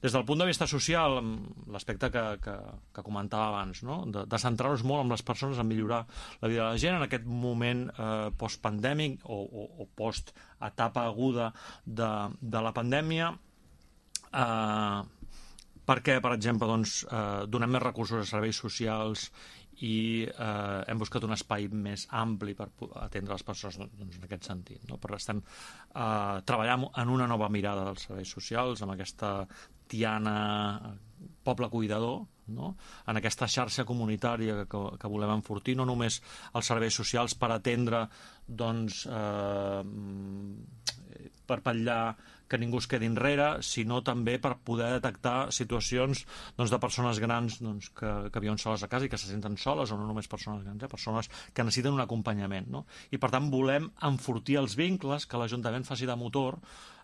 Des del punt de vista social, l'aspecte que comentava abans, no? De centrar-nos molt en les persones, en millorar la vida de la gent en aquest moment post-pandèmic o post-etapa aguda de la pandèmia, perquè, per exemple, donem més recursos a serveis socials i hem buscat un espai més ampli per atendre les persones en aquest sentit, no? Però estem treballant en una nova mirada dels serveis socials, amb aquesta Tiana poble cuidador, no? En aquesta xarxa comunitària que volem enfortir, no només els serveis socials per atendre, per vetllar que ningú es quedi enrere, sinó també per poder detectar situacions de persones grans que viuen soles a casa i que se senten soles, o no només persones grans, persones que necessiten un acompanyament, no? I per tant volem enfortir els vincles, que l'Ajuntament faci de motor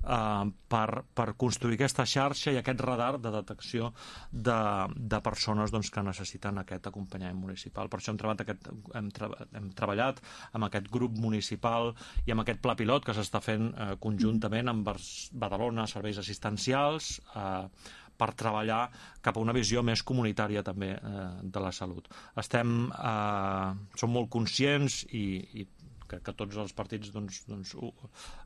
per construir aquesta xarxa i aquest radar de detecció de persones que necessiten aquest acompanyament municipal. Per això hem treballat amb aquest grup municipal i amb aquest pla pilot que s'està fent conjuntament amb Badalona Serveis Assistencials per treballar cap a una visió més comunitària també de la salut. Som molt conscients i que tots els partits,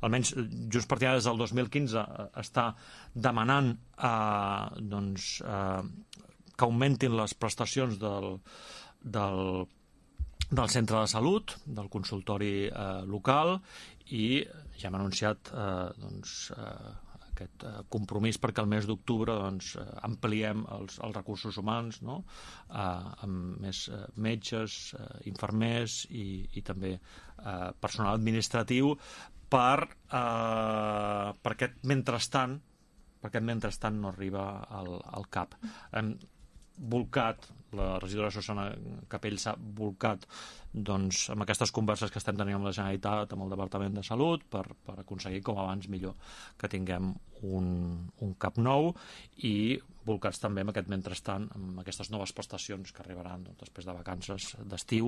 almenys Junts per Tirana des del 2015 està demanant que augmentin les prestacions del centre de salut, del consultori local, i ja hem anunciat aquest compromís perquè el mes d'octubre ampliem els recursos humans, no? Amb més metges, infermers i també personal administratiu per aquest mentrestant no arriba al CAP. Hem volcat, la regidora Susana Capell s'ha volcat amb aquestes converses que estem tenint amb la Generalitat, amb el Departament de Salut, per aconseguir com abans millor que tinguem un CAP nou, i volcats també amb aquest mentrestant, amb aquestes noves prestacions que arribaran després de vacances d'estiu